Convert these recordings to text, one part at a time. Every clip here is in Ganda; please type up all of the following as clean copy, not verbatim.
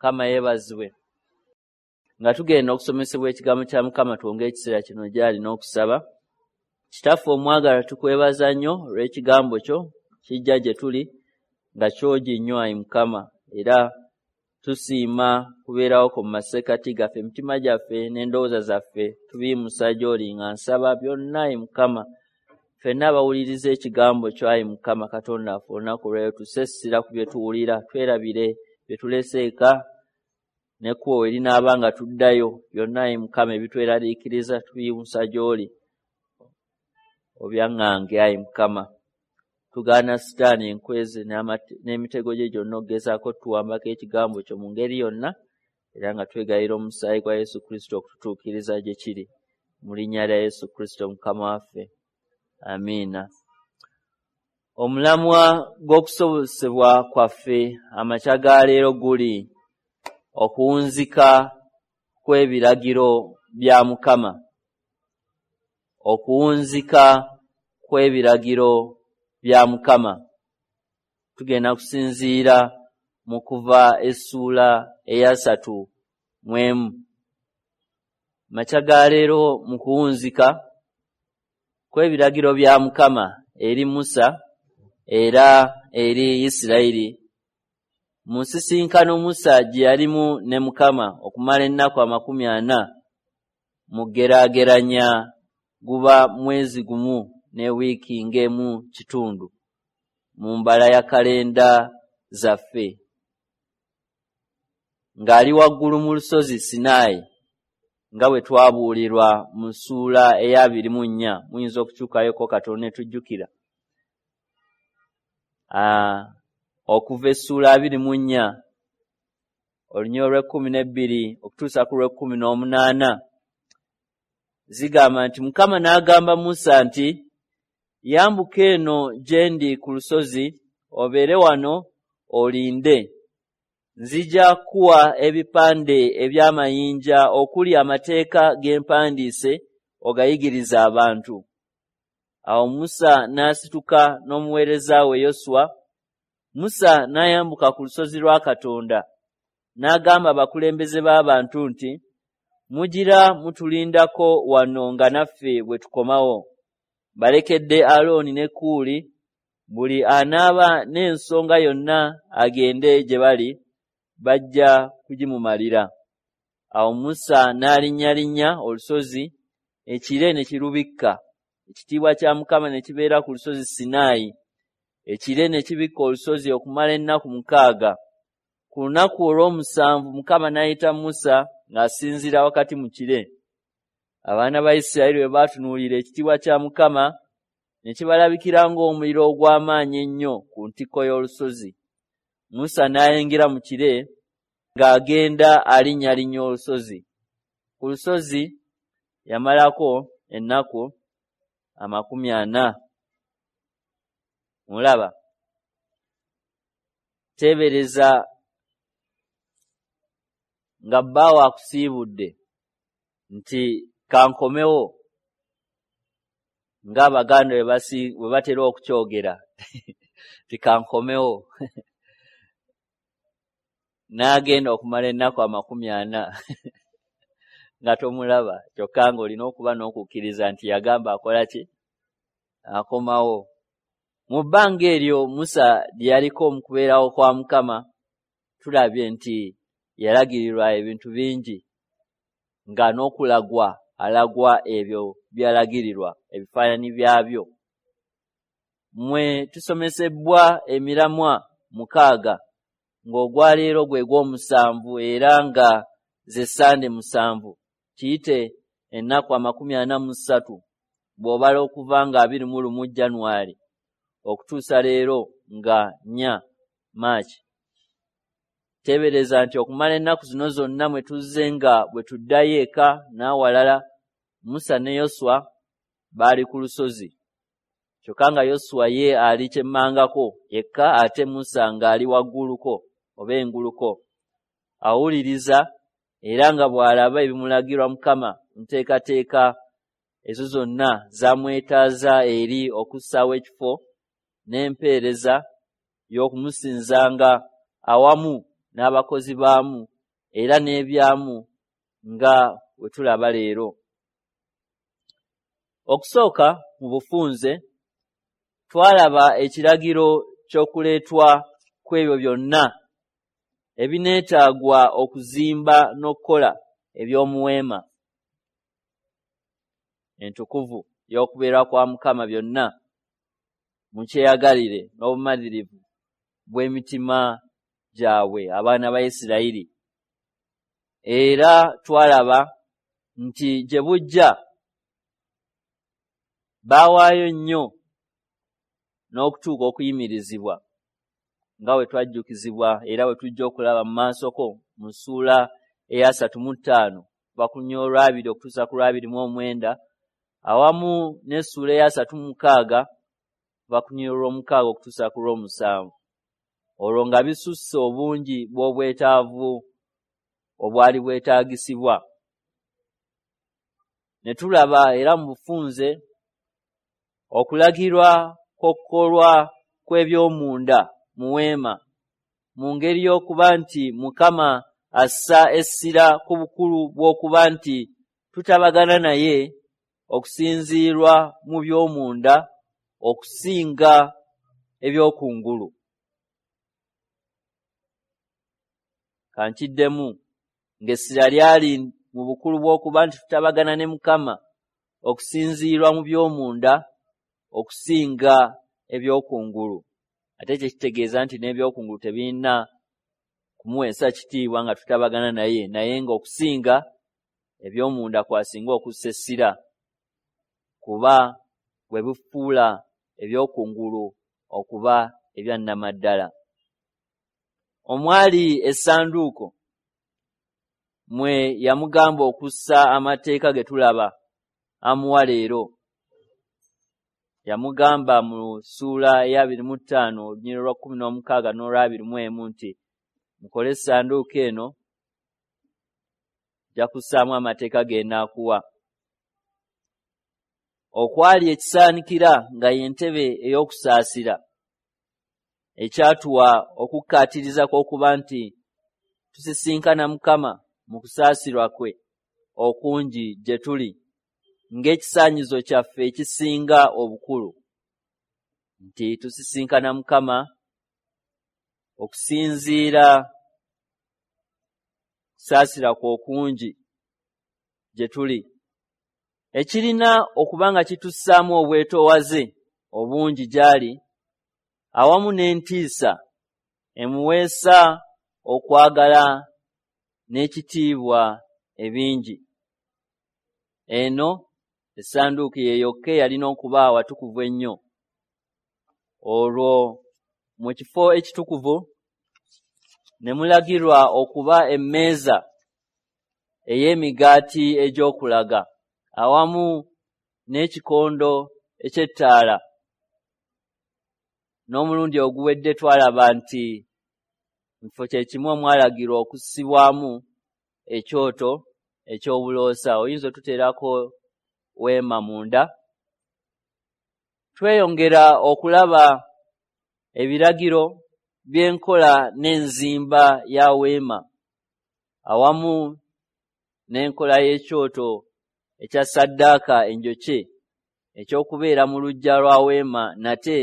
Mukama yeebazibwe. Nga tugenda okusomesebwa ekigambo kya Mukama, twongere ekiseera kino gy'ali n'okusaba. Kitaffe omwagala, tukwebaza nnyo olw'ekigambo kyo kijja gye tuli nga kyogi nnyo, ayi Mukama, era tusiima kubeerawo ko mu masekkati gaffe. Emitima gyaffe n'endowooza zaffe tubiyimusa gy'oli, nga nsaba byonna, ayi Mukama, ffenna abawuliriza ekigambo kyo, ayi Mukama Katonda waffe, olunaku olwaleero tusse essira ku bye tuwulira, twerabire bye tulese eka n'ekkubo we linaaba nga tuddayo. Byonna, ayi Mukama, ebitweraliikiriza tubiyimusa gy'oli, obyaŋŋange, ayi Mukama. Tugaana Sitaani enkwezi n'emitego gye gyonna okugezaako tuwambako ekigambo kyo mu ngeri yonna, era nga twegayirira omusaayi gwa Yesu Kristo okututuukiriza gye kiri. Mu linnya lya Yesu Kristo Mukama waffe, amiina. Omulamwa gw'okusobosebwa kwaffe amakya ga leero guli okuwunzika kw'ebiragiro bya Mukama. Okuwunzika kw'ebiragiro bya Mukama. Tugenda kusinziira mu Kuva essuula eya 31. Makya ga leero mu kuwunzika kw'ebiragiro bya Mukama eri Musa era eri Isirayiri, mu nsisinkano Musa gye yalimu ne Mukama okumala ennaku 40, mu geraageranya guba mwezi gumu ne wiiki ng'emu kitundu mu mbala ya kalenda zaffe, ng'ali waggulu mu lusozi Sinaayi, nga bwe twabuulirwa mu ssuula eya 24. Muyinza okukyukayoko katono ne tujjukira okuva essuula 24 olunyiriri olw'e12 okutuusa ku lw'e18, zigamba nti, Mukama n'agamba Musa nti, "Yambuka eno gye ndi ku lusozi, obeere wano olinde. Nzija kuwa ebipande eby'amayinja okuli amateeka ge mpandiise, ogayigirize abantu." Awo Musa n'asituka n'omuweereza we Yoswa. Musa n'ayambuka ku lusozi lwa Katonda, n'agamba abakulembeze b'abantu nti, "Mugira mutulindako wano nga naffe bwe tukomawo. Balekedde Alooni ne Kuuli, buli anaaba n'ensonga yonna agende gye bali, bajja kugimumalira." Awo Musa n'alinnyalinnya olusozi, ekire ne kirubikka. Ekitiibwa kya Mukama ne kibeera ku lusozi Sinaayi. Ekire ne kibikka olusozi okumala ennaku 6. Ku lunaku olw'omusanvu Mukama n'ayita Musa ng'asinziira wakati mu kire. Abaana ba Isirayiri bwe baatunuulira ekitiibwa kya Mukama, ne kibalabikira ng'omuliro ogw'amaanyi ennyo ku ntikko y'olusozi. Musa n'ayingira mu kire ng'agenda alinnyalinnya olusozi. Ku lusozi yamalako ennaku 40. Mulaba, teebereza nga bbaawo akusiibudde nti kankomewo, ng'Abaganda bwe batera okukyogera nti kankomewo, n'agenda okumala ennaku 40 nga tomulaba, kyokka ng'olina okuba n'okukkiriza nti yagamba akola ki? Akomawo. Mu bbanga eryo Musa lye yaliko mu kubeerawo kwa Mukama, tulabye nti yalagirirwa ebintu bingi, nga n'okulagwa alagwa ebyo by'alagirirwa, ebifaananyi byabyo. Mmwe tusomesebwa emiramwa 6, ng'ogwaleero gwe gw'omusanvu, era nga ze Ssande 7, kiyite ennaku 43 bw'obala okuva nga 21 Januari okutuusa leero nga 4 Maaki. Teebereza nti okumala ennaku zino zonna mwe tuzze nga bwe tuddayo eka n'awalala, Musa ne Yoswa baali ku lusozi. Kyokka nga Yoswa ye ali kyemmangako yekka, ate Musa ng'ali wagguluko oba enguluko. Awuliriza era nga bw'alaba ebimulagirwa Mukama nteekateeka ezo zonna zamwetaaza eri okussaawo ekifo n'empeereza y'okumusinzanga awamu n'abakozi baamu era n'ebyamu nga bwe tulaba leero. Okusooka mu bufunze twalaba ekiragiro ky'okuleetwa kw'ebyo byonna ebineetaagwa okuzimba n'okukola eby'omuweema entukuvu y'okubeera kwa Mukama byonna mu kyeyagalire n'obumalirivu bw'emitima gyabwe abaana ba Isirayiri. Era twalaba nti gye bujja baawaayo nnyo n'okutuuka okuyimirizibwa nga bwe twajjukizibwa era bwe tujja okulaba mu maasoko mu ssuula eya 35 kuva ku lunyiriri olwabiri okutuusa ku lwabiri mu omwenda, awamu n'essuula eya 36 kuva ku lunyiriri olw'omukaaga okutuusa ku lw'omusanvu, olwo nga bisusse obungi bw'obwetaavu obwali bwetaagisibwa. Ne tulaba era mu bufunze okulagirwa kw'okukolwa kw'ebyomunda mu weema mu ngeri y'okuba nti Mukama assa essira ku bukulu bw'okuba nti tutabagana naye okusinziirwa mu by'omunda okusinga eby'okungulu. Kankiddemu, ng'essira lyali mu bukulu bw'okuba nti tutabagana ne Mukama okusinziirwa mu by'omunda okusinga eby'okungulu. Ate ekyo kitegeeza nti n'ebyokungulu tebirina kumuweesa kitiibwa nga tutabagana naye, naye ng'okusinga eby'omunda kwasinga okussa essira, kuba bwe bifuula ebyokungulu okuba ebya nnamaddala. Omwali essanduuko mwe yamugamba okussa amateeka ge tulaba amuwa leero. Yamugamba mu ssuula eya 25 olunyiriri lwa 16 n'olwa 21 nti mukole essanduuko eno, nja kussaamu amateeka ge nnaakuwa. Okwali ekisaanikira nga y'entebe ey'okusaasira, ekyatuwa okukkaatiriza kw'okuba nti tusisinkana Mukama mu kusaasirwa kwe okungi gye tuli ng'ekisaanyizo kyaffe ekisinga obukulu, nti tusisinkana Mukama okusinziira kusaasira kwe okungi gye tuli, ekirina okuba nga kitussaamu obwetoowaze obungi gy'ali awamu n'entiisa emuweesa okwagala n'ekitiibwa ebingi. Eno essanduuko ye yokka eyalina okuba awatukuvu ennyo. Olwo mu kifo ekitukuvu ne mulagirwa okuba emmeeza ey'emigaati egy'okulaga awamu n'ekikondo eky'ettaala. N'omulundi oguwedde twalaba nti mu kifo kye kimu omwalagirwa okussibwamu ekyoto eky'obuloosa. Oyinza otuteerako weema munda. Tweyongera okulaba ebiragiro by'enkola n'enzimba ya weema awamu n'enkola y'ekyoto ekya ssaddaaka enjokye eky'okubeera mu luggya lwa weema, nate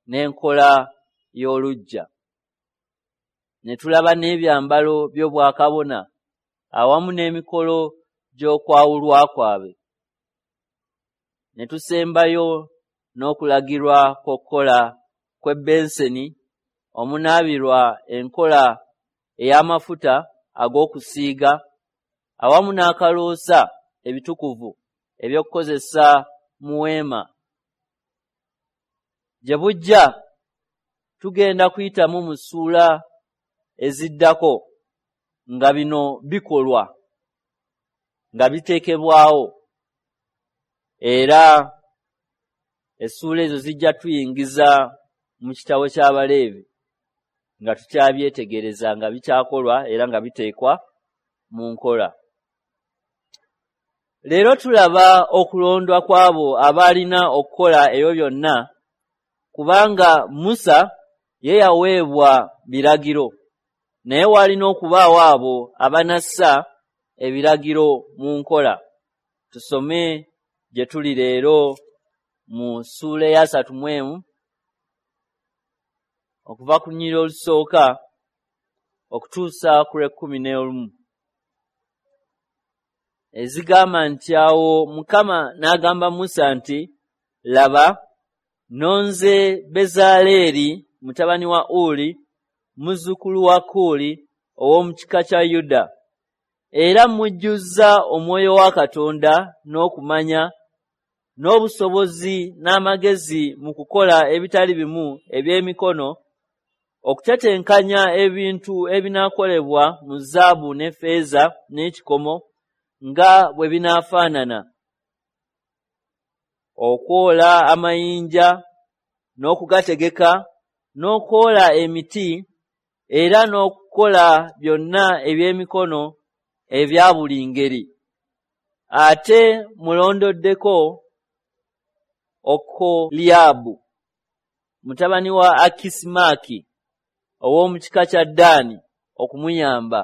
n'enkola y'oluggya. Ne tulaba n'ebyambalo by'obwakabona awamu n'emikolo gy'okwawulwa kwabwe. Ne tusembayo n'okulagirwa kw'okukola kw'ebbenseni omunaabirwa enkola ey'amafuta ag'okusiiga awamu n'akaloosa ebitukuvu eby'okukozesa mu weema. Gye bujja tugenda kuyitamu mu ssuula eziddako nga bino bikolwa, nga biteekebwawo, era essuula ezo zijja tuyingiza mu kitabo ky'Abaleevi nga tukyabyetegereza nga bikyakolwa era nga biteekwa mu nkola. Leero tulaba okulondwa kw'abo abaalina okukola ebyo byonna, kubanga Musa ye yaweebwa biragiro. Naye walina okubaawo abo abanassa ebiragiro mu nkola. Tusome gye tuli leero mu ssuula eya 31 okuva ku lunyiriri olusooka okutuusa ku lw'ekkumi n'olumu, ezigamba nti, "Awo Mukama n'agamba Musa nti, 'Laba, nonze Bezaleeri mutabani wa Uli, muzzukulu wa Kuuli, ow'omu kika kya Yuda, era mujjuzza Omwoyo wa Katonda n'okumanya n'obusobozi n'amagezi mu kukola ebitali bimu eby'emikono, okutetenkanya ebintu ebinaakolebwa mu zaabu n'effeeza n'ekikomo nga bwe binaafaanana, okwola amayinja n'okugategeka, n'okwola emiti, era n'okukola byonna eby'emikono ebya buli ngeri. Ate mulondoddeko Okoliyaabu mutabani wa Akisimaaki ow'omu kika kya Ddaani okumuyamba.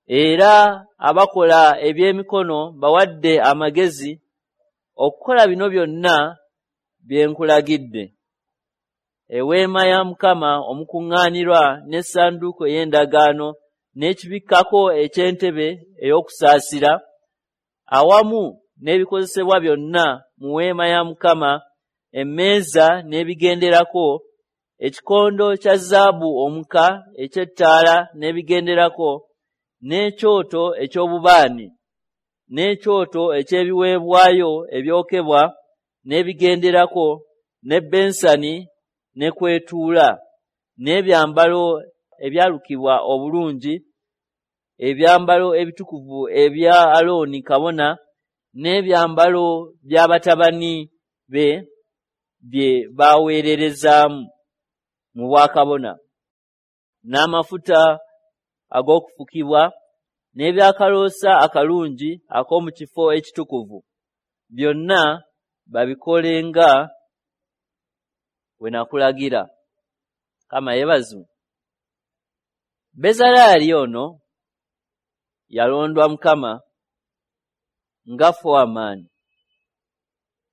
Era abakola eby'emikono bawadde amagezi okukola bino byonna bye nkulagidde: Eweema ya Mukama omukuŋŋaanirwa, n'essanduuko ey'endagaano, n'ekibikkako eky'entebe ey'okusaasira, awamu n'ebikozesebwa byonna mu weema ya Mukama, emmeeza n'ebigenderako, ekikondo kya zaabu omuka eky'ettaala n'ebigenderako, n'ekyoto eky'obubaani, n'ekyoto eky'ebiweebwayo ebyokebwa n'ebigenderako, n'ebbensani ne kwetuula, n'ebyambalo ebyalukibwa obulungi, ebyambalo ebitukuvu ebya Alooni kabona, n'ebyambalo bya batabani be bye baweererezaamu mu bwakabona, n'amafuta ag'okufukibwa, n'ebyakaloosa akalungi ak'omu kifo ekitukuvu. Byonna babikole nga bwe nakulagira." Mukama yeebazibwe. Bezalaali ono yalondwa Mukama nga foreman,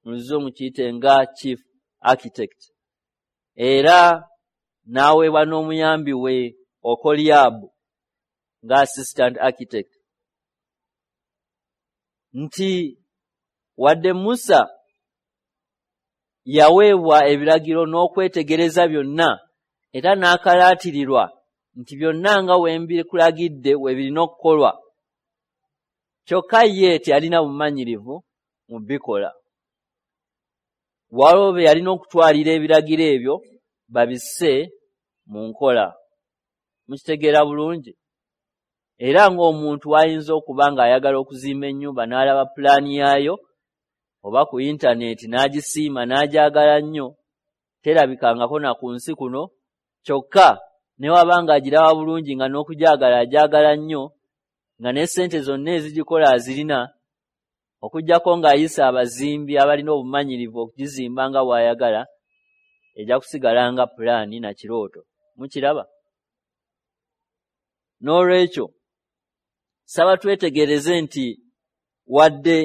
mu Luzungu kiyite nga chief architect, era n'aweebwa n'omuyambi we Okoliyaabu nga assistant architect. Nti wadde Musa yaweebwa ebiragiro n'okwetegereza byonna, era n'akalaatirirwa nti byonna nga we mbikulagidde we birina okukolwa, kyokka ye teyalina bumanyirivu mu bikola. Waliwo be yalina okutwalira ebiragiro ebyo babisse mu nkola. Mukitegeera bulungi? Era ng'omuntu ayinza okuba ng'ayagala okuzimba ennyumba, n'alaba pulaani yaayo oba ku intaneti, n'agisiima, n'agyagala nnyo, terabikangako na ku nsi kuno. Kyokka ne waba ng'agiraba bulungi, nga n'okugyagala agyagala nnyo, nga ne ssente zonna ezigikola azirina, okuggyako ng'ayise abazimbi abalina obumanyirivu okugizimba nga bw'ayagala, ejja kusigala nga pulaani na kirooto. Mukiraba? N'olwekyo saba twetegereze nti wadde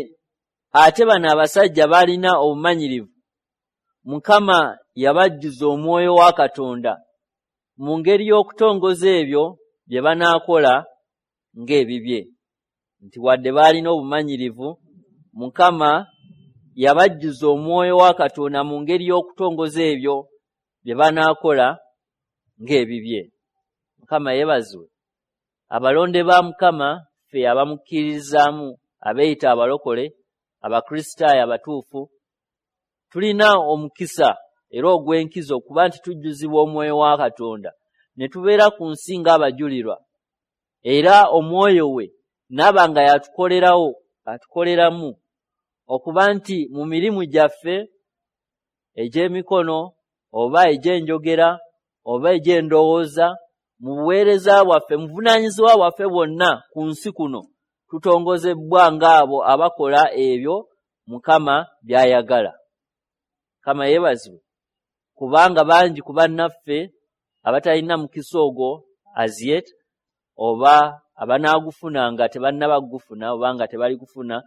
ate bano abasajja balina obumanyirivu, Mukama yabajjuza Omwoyo wa Katonda mu ngeri y'okutongoza ebyo bye banaakola ng'ebibye. Nti wadde baalina obumanyirivu, Mukama yabajjuza Omwoyo wa Katonda mu ngeri y'okutongoza ebyo bye banaakola ng'ebibye. Mukama yeebazibwe. Abalonde ba Mukama, ffe abamukkiririzaamu, abeeyita abalokole, Abakristaayo abatuufu, tulina omukisa era ogw'enkizo okuba nti tujjuzibwa Omwoyo wa Katonda ne tubeera ku nsi ng'abajulirwa, era Omwoyo we n'aba nga yatukolerawo, atukoleramu okuba nti mu mirimu gyaffe egy'emikono oba egy'enjogera oba egy'endowooza, mu buweereza bwaffe, mu buvunaanyizibwa bwaffe bwonna ku nsi kuno, tutongozebwa ng'abo abakola ebyo Mukama by'ayagala. Mukama yeebazibwe, kubanga bangi ku bannaffe abatalina mukisa ogwo as yet, oba abanaagufuna nga tebannaba kugufuna oba nga tebali kufuna,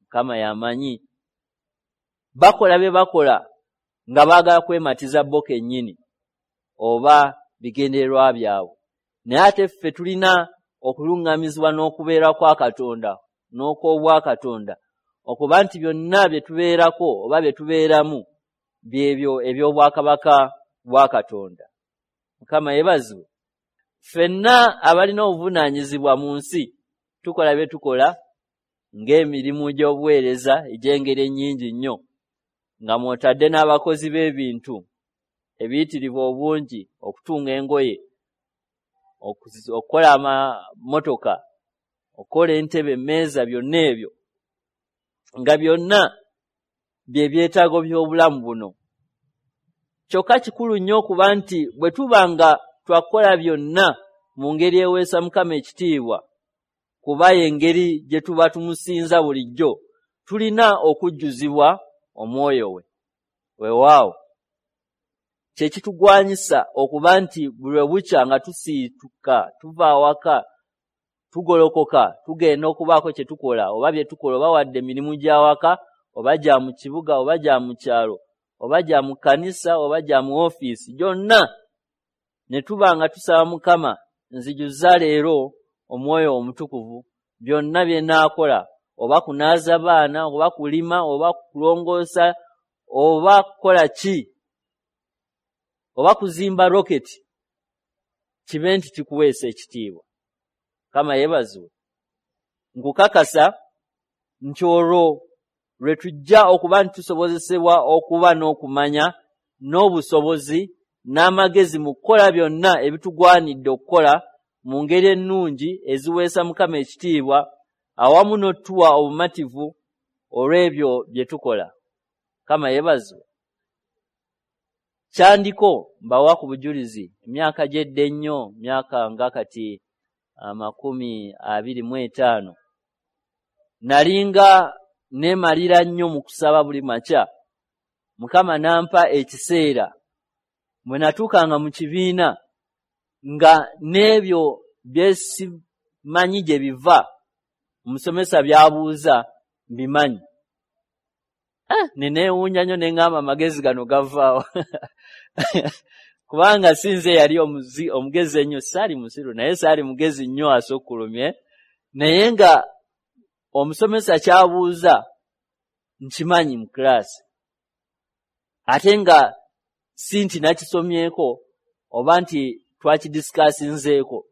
Mukama y'amanyi. Bakola bye bakola nga baagala kwematiza bo kennyini oba bigendererwa byabwe. Naye ate ffe tulina okuluŋŋamizibwa n'okubeera kwa Katonda n'okw'obwakatonda, okuba nti byonna bye tubeerako oba bye tubeeramu byebyo eby'obwakabaka bwa Katonda. Mukama yeebazibwe. Ffenna abalina obuvunaanyizibwa mu nsi tukola bye tukola ng'emirimu gy'obuweereza egy'engeri ennyingi nnyo, nga mw'otadde n'abakozi b'ebintu ebiyitirivu obungi, okutunga engoye, okukola amamotoka, okukola entebe, emmeeza, byonna ebyo nga byonna bye byetaago by'obulamu buno. Kyokka kikulu nnyo okuba nti bwe tuba nga twakola byonna mu ngeri eweesa Mukama ekitiibwa, kuba y'engeri gye tuba tumusinza bulijjo, tulina okujjuzibwa omwoyo we. Weewaawo kye kitugwanyisa okuba nti buli lwe bukya nga tusiituka, tuva awaka, tugolokoka, tugenda okubaako kye tukola oba bye tukola, oba wadde emirimu gy'awaka, oba gya mu kibuga, oba gya mu kyalo, oba gya mu kkanisa, oba gya mu ofiisi, gyonna ne tuba nga tusaba Mukama, nzijuza leero omwoyo omutukuvu, byonna bye nnaakola, oba kunaaza baana, oba kulima, oba kulongoosa, oba kukola ki, oba kuzimba roketi, kibe nti kikuweesa ekitiibwa. Mukama yeebazibwe. Nkukakasa nti olwo lwe tujja okuba nti tusobozesebwa okuba n'okumanya n'obusobozi n'amagezi mu kukola byonna ebitugwanidde okukola mu ngeri ennungi eziweesa Mukama ekitiibwa, awamu n'otuwa obumativu olw'ebyo bye tukola. Mukama yeebazibwe. Kyandiko mbawa ku bujulizi emyaka gy'edda ennyo, myaka nga kati 25, nalinga neemalira nnyo mu kusaba buli makya. Mukama n'ampa ekiseera bwe natuukanga mu kibiina nga n'ebyo bye simanyi gye biva, omusomesa by'abuuza mbimanyi. Ne neewuunya nnyo ne ŋŋamba amagezi gano gavaawa kubanga si nze yali omugezi ennyo, saali musiru naye saali mugezi nnyo asukkulumye, naye nga omusomesa ky'abuuza nkimanyi mu kiraasi, ate nga si nti nakisomyeko oba nti twakidisikasinzeeko.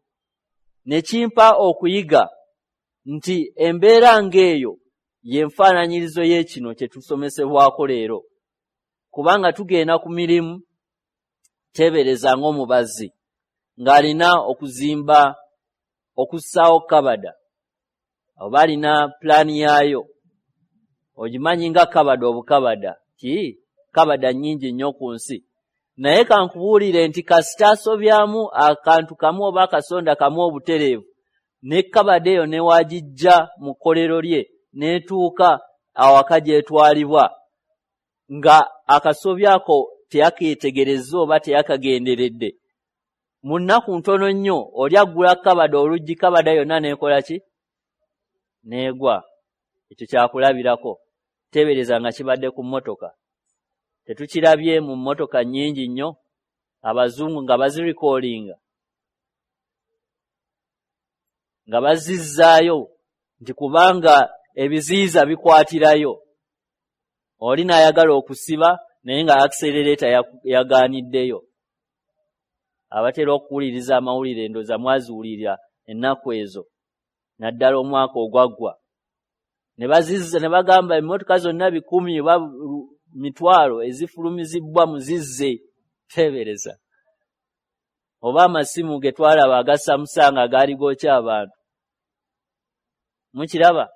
Ne kimpa okuyiga nti embeera ng'eyo y'enfaananyirizo y'ekino kye tusomesebwako leero, kubanga tugenda ku mirimu, teebereza ng'omubazzi ng'alina okuzimba, okussaawo kabada, oba alina pulaani yaayo. Ogimanyi nga kabada obukabada, ki kabada nnyingi nnyo ku nsi, naye kankubuulire nti kasita asobyamu akantu kamu oba akasonda kamu obutereevu, ne kabada eyo ne wagijja mu kkolero lye n'etuuka awaka gy'etwalibwa, nga akasobyako teyakeetegerezza oba teyakagenderedde, mu nnaku ntono nnyo oli aggula kabada oluggi, kabada yonna n'ekola ki? N'egwa. Ekyo kyakulabirako. Teebereza nga kibadde ku mmotoka. Tetukirabye mu mmotoka nnyingi nnyo, abazungu nga bazirikoolinga, nga bazizzaayo nti kubanga ebiziyiza bikwatirayo. Oli n'ayagala okusiba naye nga accelerator yagaaniddeyo. Abatera okuwuliriza amawulire ndowooza mwaziwulira ennaku ezo, naddala omwaka ogwaggwa. Ne bazizza ne bagamba emmotoka zonna 1,000 oba 5,000 ezifulumizibbwa muzizze. Teebereza. Oba amasimu ge twalaba aga Samsung agaali gookya abantu. Mukiraba?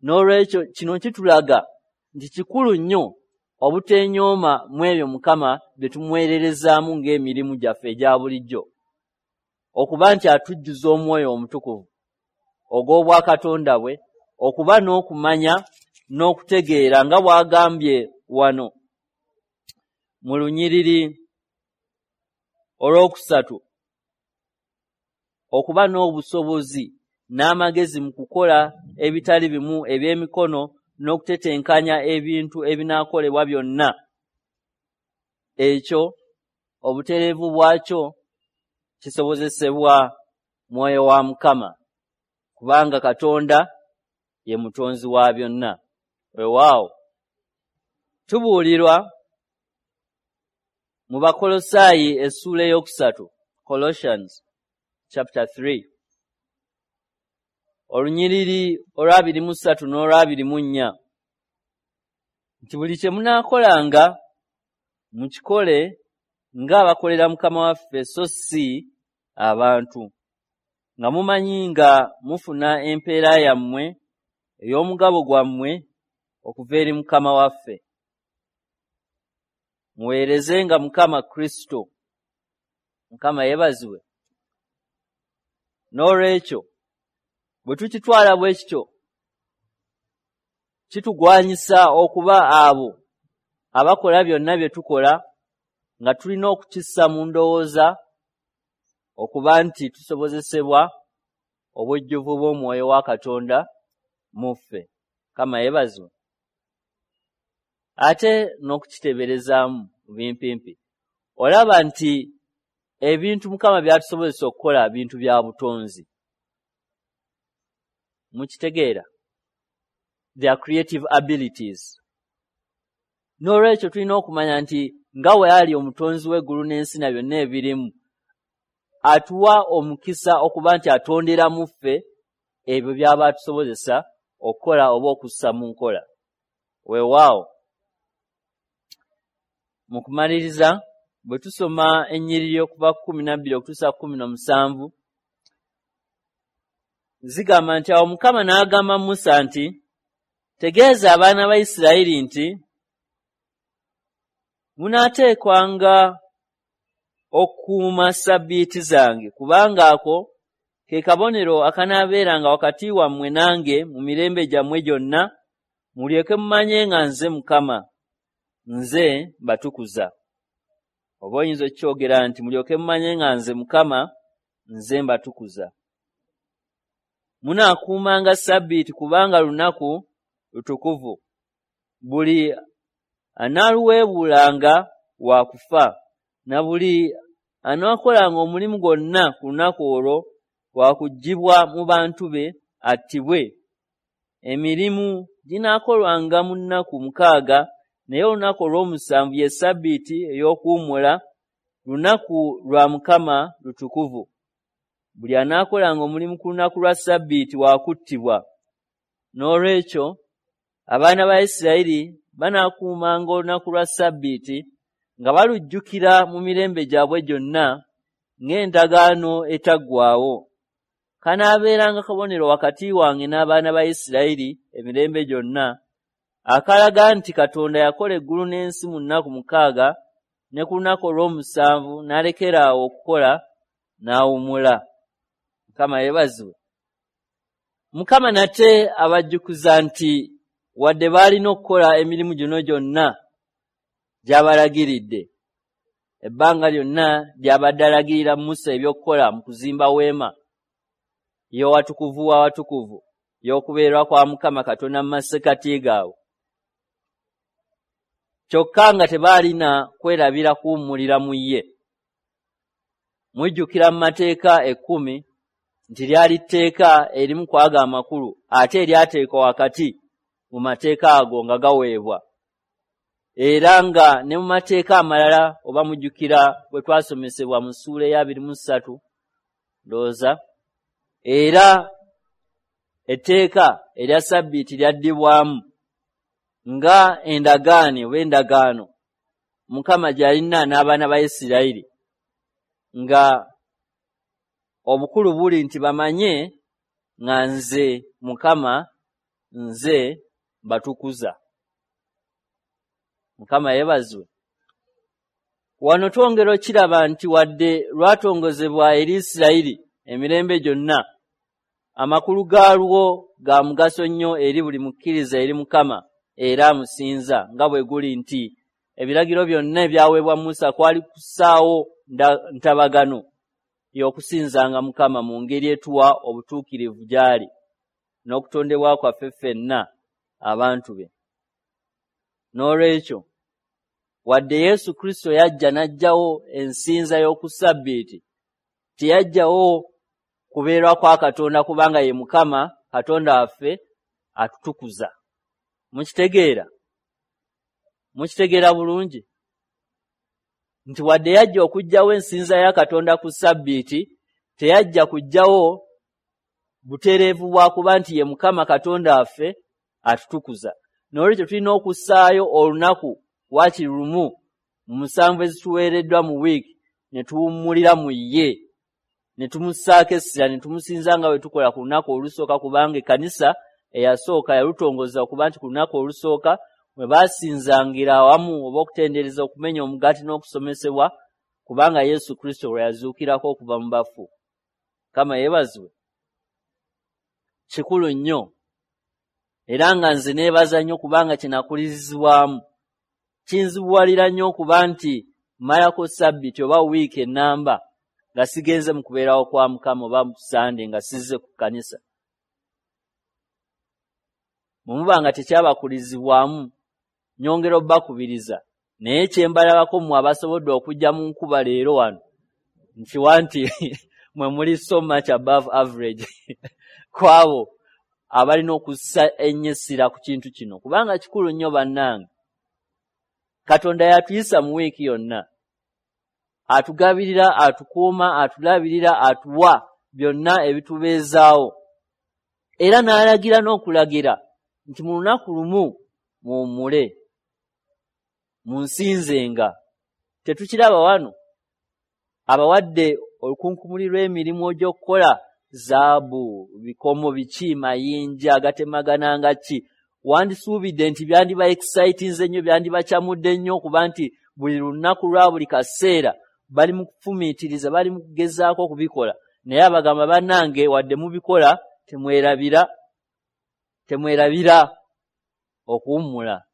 N'olwekyo kino kitulaga nti kikulu nnyo obuteenyooma mu ebyo Mukama bye tumuweererezaamu ng'emirimu gyaffe egya bulijjo, okuba nti atujjuza omwoyo omutukuvu ogw'obwakatonda bwe, okuba n'okumanya n'okutegeera nga bw'agambye wano mu lunyiriri olwokusatu. okuba n'obusobozi n'amagezi mu kukola ebitali bimu eby'emikono n'okutetenkanya ebintu ebinaakolebwa byonna. Ekyo obutereevu bwakyo kisobozesebwa Mwoyo wa Mukama, kubanga Katonda ye mutonzi wa byonna. Weewaawo tubuulirwa mu Bakolosaayi essuula 3, Colossians chapter 3, olunyiriri olwa 23 n'olwa 24, nti buli kye munaakolanga mukikole ng'abakolera Mukama waffe so si abantu, nga mumanyi nga mufuna empeera yammwe ey'omugabo gwammwe okuva eri Mukama waffe. Muweerezenga Mukama Kristo. Mukama yeebazibwe. N'olwekyo bwe tukitwala bwe kityo, kitugwanyisa okuba abo abakola byonna bye tukola nga tulina okukissa mu ndowooza okuba nti tusobozesebwa obujjuvu bw'Omwoyo wa Katonda mu ffe. Mukama yeebazibwe. Ate n'okukiteeberezaamu mu bimpimpi, olaba nti ebintu Mukama by'atusobozesa okukola bintu bya butonzi. Mukitegeera? Their creative abilities. N'olwekyo tulina okumanya nti nga we ali omutonzi w'eggulu n'ensi na byonna ebirimu, atuwa omukisa okuba nti atondera mu ffe ebyo by'aba atusobozesa okukola oba okussa mu nkola. Weewaawo mu kumaliriza, bwe tusoma ennyiriri okuva 12 okutuusa 17, zigamba nti, awo Mukama n'agamba Musa nti, tegeeza abaana ba Isirayiri nti munaateekwanga okukuuma ssabbiiti zange, kubanga ako ke kabonero akanaabeeranga wakati wammwe nange mu mirembe gyammwe gyonna, mulyoke mumanye nga nze Mukama, nze mbatukuza. Oba oyinza okukyogera nti mulyoke mumanye nga nze Mukama, nze mbatukuza. Munaakuumanga ssabbiiti kubanga lunaku lutukuvu. Buli anaaluweebuulanga wa kufa, na buli anaakolanga omulimu gwonna ku lunaku olwo wa kuggyibwa mu bantu be attibwe. Emirimu ginaakolwanga mu nnaku 6, naye olunaku olw'omusanvu ye ssabbiiti ey'okuwummula, lunaku lwa Mukama lutukuvu. Buli anaakolanga omulimu ku lunaku lwa ssabbiiti wa kuttibwa. N'olwekyo abaana ba Isirayiri banaakuumanga olunaku lwa ssabbiiti nga balujjukira mu mirembe gyabwe gyonna ng'endagaano etaggwaawo. Kanaabeeranga kabonero wakati wange n'abaana ba Isirayiri emirembe gyonna, akalaga nti Katonda yakola eggulu n'ensi mu nnaku 6, ne ku lunaku olw'omusanvu n'alekera awo okukola n'awummula. Mukama yeebazibwe. Mukama nate abajjukiza nti wadde baalina okukola emirimu gino gyonna gy'abalagiridde, ebbanga lyonna ly'abadde alagirira Musa ebyokukola mu kuzimba weema y'owatukuvu w'awatukuvu, y'okubeerwa kwa Mukama Katonda mu masekkati gaabwe, kyokka nga tebaalina kwerabira kuwummulira mu ye. Mujjukira mu mateeka 10 nti lyali tteeka erimu ku ago amakulu ate eryateekwa wakati mu mateeka ago nga gaweebwa, era nga ne mu mateeka amalala, oba mujjukira bwe twasomesebwa mu ssuula eya 23 ndowooza, era etteeka erya ssabbiiti lyaddibwamu nga endagaane oba endagaano Mukama gy'alina n'abaana ba Isirayiri, nga obukulu buli nti bamanye nga nze Mukama nze mbatukuza. Mukama yeebazibwe. Wano twongera okiraba nti wadde lwatongozebwa eri Isirayiri emirembe gyonna, amakulu gaalwo ga mugaso nnyo eri buli mukkiriza eri Mukama era amusinza, nga bwe guli nti ebiragiro byonna ebyaweebwa Musa kwali kussaawo ntabagano. y'okusinzanga Mukama mu ngeri etuwa obutuukirivu gy'ali n'okutondebwa kwaffe ffenna abantu be. N'olwekyo wadde Yesu Kristo yajja n'aggyawo ensinza y'oku Ssabbiiti, teyaggyawo kubeerwa kwa Katonda, kubanga ye Mukama Katonda waffe atutukuza. Mukitegeera? Mukitegeera bulungi nti wadde yajja okuggyawo ensinza ya Katonda ku Ssabbiiti, teyajja kuggyawo butereevu bwa kuba nti ye Mukama Katonda waffe atutukuza. N'olwekyo tulina okussaayo olunaku waakiri lumu mu 7 ezituweereddwa mu wiiki ne tuwummulira mu ye, ne tumussaako essira, ne tumusinza nga bwe tukola ku lunaku olusooka, kubanga ekkanisa eyasooka yalutongoza okuba nti ku lunaku olusooka mwe baasinzangira awamu oba okutendereza, okumenya omugaati n'okusomesebwa, kubanga Yesu Kristo lwe yazuukirako okuva mu bafu. Mukama yeebazibwe. Kikulu nnyo, era nga nze neebaza nnyo kubanga kinakulirizibwamu. Kinzibuwalira nnyo okuba nti mmalako Ssabbiiti oba wiiki ennamba nga sigenze mu kubeerawo kwa Mukama, oba mu Sande nga sizze ku kkanisa. Bwe muba nga tekyabakulizibwamu, nyongera obbakubiriza, naye kye mbalabako mmwe abasobodde okujja mu nkuba leero wano, nkiwa nti mwe muli so much above average ku abo abalina okussa ennyo essira ku kintu kino, kubanga kikulu nnyo bannange. Katonda yatuyisa mu wiiki yonna, atugabirira, atukuuma, atulabirira, atuwa byonna ebitubeezaawo, era n'alagira n'okulagira nti mu lunaku lumu muwummule, munsinzenga. Tetukiraba wano abawadde olukunkumuli lw'emirimu egy'okukola zaabu, bikomo biki, mayinja agatemagana ki. Wandisuubidde nti byandiba excitinze nnyo, byandibakyamudde nnyo okuba nti buli lunaku lwa buli kaseera bali mu kufumiitiriza, bali mu kugezaako okubikola. Naye abagamba, bannange, wadde mubikola, temwerabira okuwummula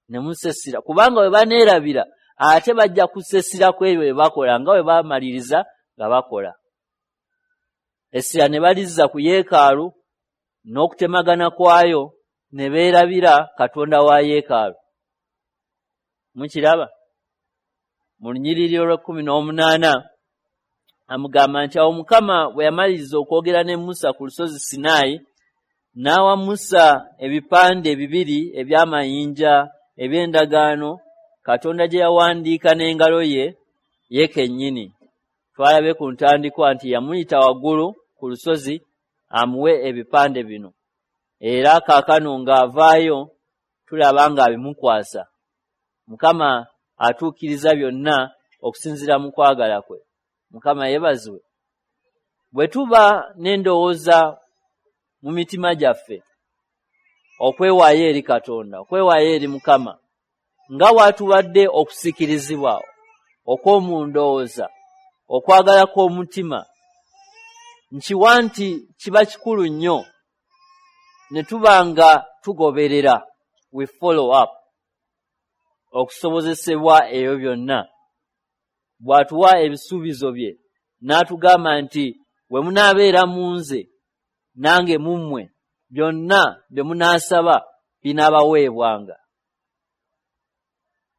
ne musesira, kubanga bwe baneerabira ate bajja kusesira ku ebyo bye bakola nga bwe bamaliriza nga bakola. Essira ne balizza ku yeekaalu n'okutemagana kwayo, ne beerabira Katonda wa yeekaalu. Mukiraba? Mu lunyiriri olw'18 amugamba nti awo Mukama bwe yamaliriza okwogera ne Musa ku lusozi Sinaayi, n'awa Musa ebipande bibiri eby'amayinja eby'endagaano Katonda gye yawandiika n'engalo ye ye kennyini. Twalabe ku ntandikwa nti yamuyita waggulu ku lusozi amuwe ebipande bino, era kaakano ng'avaayo tulaba ng'abimukwasa. Mukama atuukiriza byonna okusinziira mu kwagala kwe. Mukama yeebazibwe. Bwe tuba n'endowooza mu mitima gyaffe okwewaayo eri Katonda, okwewaayo eri Mukama, nga bw'atuwadde okusikirizibwa okw'omu ndowooza, okwagala kw'omutima, nkiwa nti kiba kikulu nnyo ne tuba nga tugoberera, we follow up, okusobozesebwa ebyo byonna. Bw'atuwa ebisuubizo bye n'atugamba nti bwe munaabeera mu nze nange mu mmwe, byonna bye munaasaba binaabaweebwanga.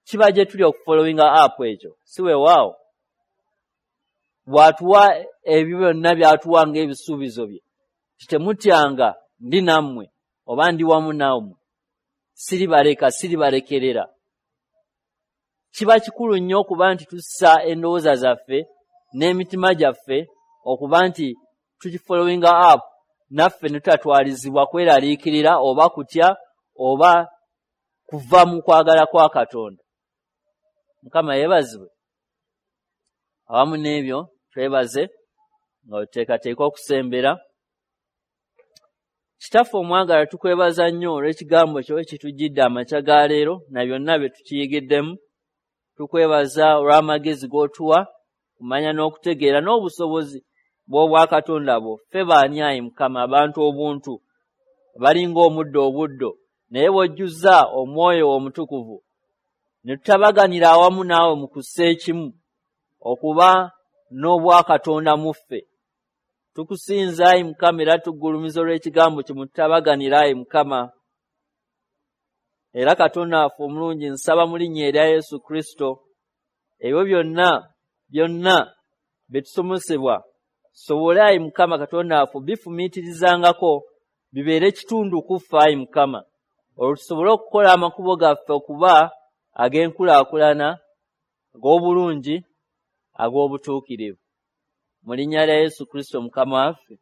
Kiba gye tuli okufollowinga up ekyo, si weewaawo? Bw'atuwa ebyo byonna by'atuwa ng'ebisuubizo bye, temutyanga, ndi nammwe oba ndi wamu nammwe, siribaleka, siribalekerera. Kiba kikulu nnyo okuba nti tussa endowooza zaffe n'emitima gyaffe okuba nti tukifollowinga up, naffe ne tutatwalizibwa kweraliikirira oba kutya oba kuva mu kwagala kwa Katonda. Mukama yeebazibwe. Awamu n'ebyo twebaze nga wetuteekateeka okusembera. Kitaffe omwagala, tukwebaza nnyo olw'ekigambo kyo ekitujjidde amakya ga leero na byonna bye tukiyigiddemu. Tukwebaza olw'amagezi g'otuwa kumanya n'okutegeera n'obusobozi bw'obwakatonda bwo. Ffe baani ayi Mukama, abantu obuntu balinga omuddo obuddo, naye bw'ojjuzza omwoyo omutukuvu ne tutabaganira awamu naawe mu kussa ekimu okuba n'obwakatonda mu ffe. Tukusinza ayi Mukama era tugulumiza olw'ekigambo kye mutabaganira ayi Mukama. Era Katonda waffe omulungi, nsaba mu linnya erya Yesu Kristo ebyo byonna byonna bye tusomesebwa tusobole ayi Mukama Katonda waffe bifumiitirizangako, bibeere kitundu ku ffe ayi Mukama, olwo tusobole okukola amakubo gaffe okuba ag'enkulaakulana, ag'obulungi, ag'obutuukirivu. Mu linnya lya Yesu Kristo Mukama waffe.